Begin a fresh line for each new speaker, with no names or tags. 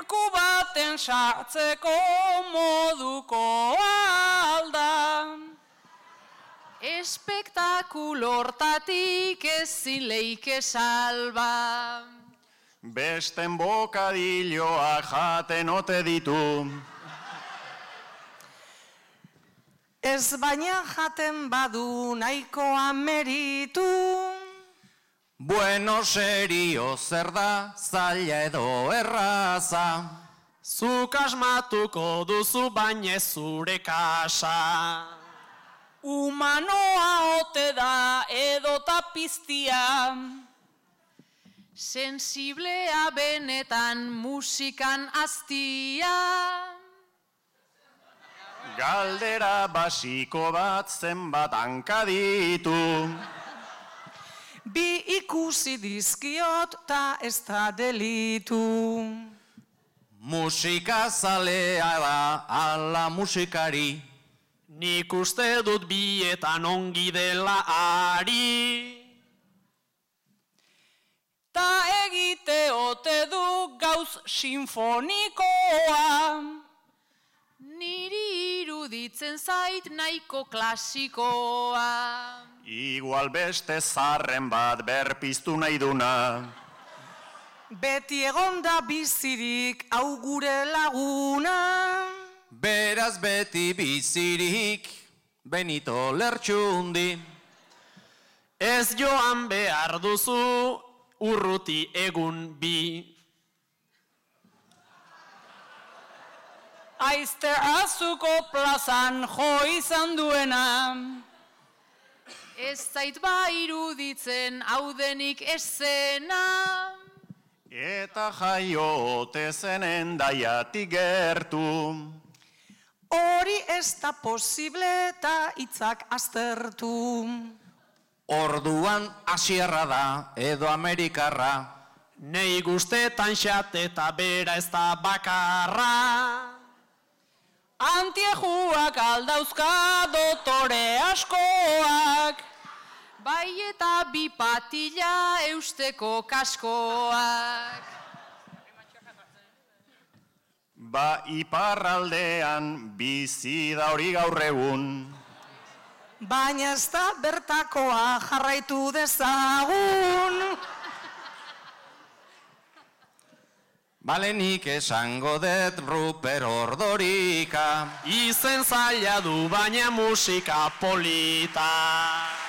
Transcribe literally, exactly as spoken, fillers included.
Gorku baten sartzeko moduko alda. Espektakulortatik ezin leike salba.
Besten bokadilloak jaten ote ditu.
Ez baina jaten badu nahikoa meritu.
Bueno, serio, zer da, zaila edo erraza.
Zuk asmatuko duzu baina ez zure kasa.
Humanoa ote da edo tapiztia. Sensiblea benetan musikan aztia.
Galdera basiko bat zenbat hanka ditu.
Bi ikusi dizkiot ta ez da delitu.
Musika zalea da ala musikari.
Nik uste dut bietan ongi dela ari.
Ta egite ote du gauz sinfonikoa. Niri iruditzen zait nahiko klasikoa.
Igual beste zarren bat berpiztu nahi duna.
Beti egonda bizirik hau gure laguna.
Beraz beti bizirik, Benito Lertxundi.
Ez joan behar duzu urruti egun bi.
Aizte azuko plazan jo izan duena. Ez zait ba iruditzen hau denik esena.
Eta jaiote zenen daiatik gertu.
Hori ez da posible eta hitzak aztertu.
Orduan asierra da edo amerikarra.
Nei guztetan xate eta bera ez da bakarra.
Antiejuak aldauzka dotore askoak. Bai eta bi patila eusteko kaskoak.
Ba iparraldean bizi da hori gaur egun.
Baina ez da bertakoa jarraitu dezagun.
Balenik esango dut Ruper Ordorika.
Izen zaila du baina musika polita.